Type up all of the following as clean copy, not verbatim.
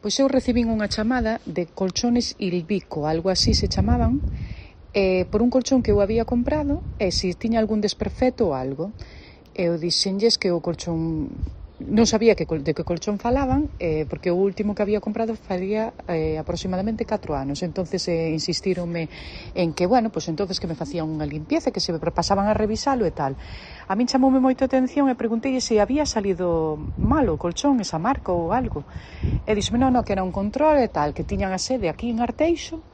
Pois eu recibín unha chamada de Colchones Il Bico, algo así se chamaban, por un colchón que eu había comprado e se tiña algún desperfecto ou algo. Eu dixenlles que o colchón non sabía de que colchón falaban, porque o último que había comprado faría aproximadamente 4 anos. Entonces insistíronme en que, bueno, pues entonces que me facían unha limpieza, que se pasaban a revisalo e tal. A min chamoume moito a atención e preguntei se había salido mal o colchón, esa marca ou algo. E dixeme, non, que era un control e tal, que tiñan a sede aquí en Arteixo.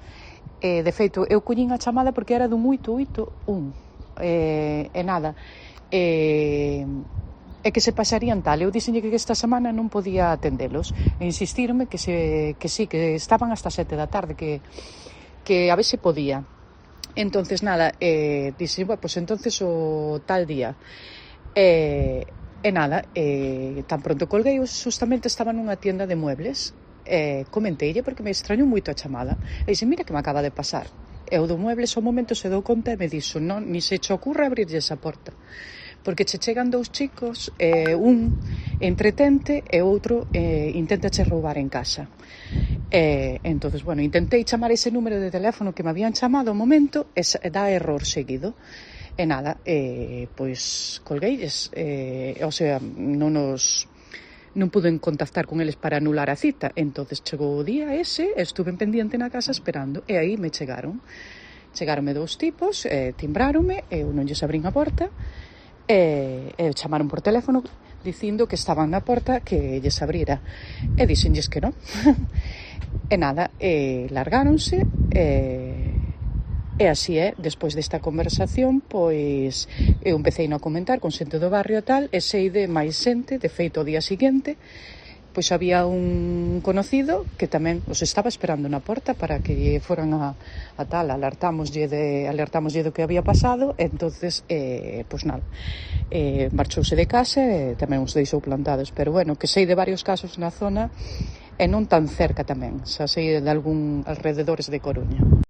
De feito, eu collín a chamada porque era dun 881. E nada, e que se pasarían tal. Eu dixenlle que esta semana non podía atendelos e insistirme que sí, que estaban hasta 7 da tarde, que a ver se podía. Entonces nada, dixen, bueno, pues entonces o tal día. E nada, tan pronto colguei, justamente estaba nunha tienda de muebles. Comenteille porque me extrañou moito a chamada e dixen, mira que me acaba de pasar. E o do muebles ao momento se dou conta e me dixo, non, ni se che ocurra abrirlle esa porta, porque che chegan dous chicos, un entretente e outro inténtache roubar en casa. Entonces, bueno, intentei chamar ese número de teléfono que me habían chamado ao momento e dá error seguido. E nada, pois colgueilles, o sea, non puden contactar con eles para anular a cita. Entonces chegou o día ese, estuve en pendiente na casa esperando, e aí me chegaronme dous tipos, timbráronme, eu non lles abrín a porta, e chamaron por teléfono dicindo que estaban na porta, que lles abrira, e dixenlles que non. E nada, largáronse, e así despois desta conversación, pois eu empecei a comentar con xente do barrio e tal, e sei de máis xente. De feito, o día seguinte, pois había un conocido que tamén os estaba esperando na porta para que foran a tal, alertámoslle do que había pasado. Entonces, pois nada, marchouse de casa e tamén os deixou plantados. Pero bueno, que sei de varios casos na zona e non tan cerca tamén, xa sei de algún alrededores de Coruña.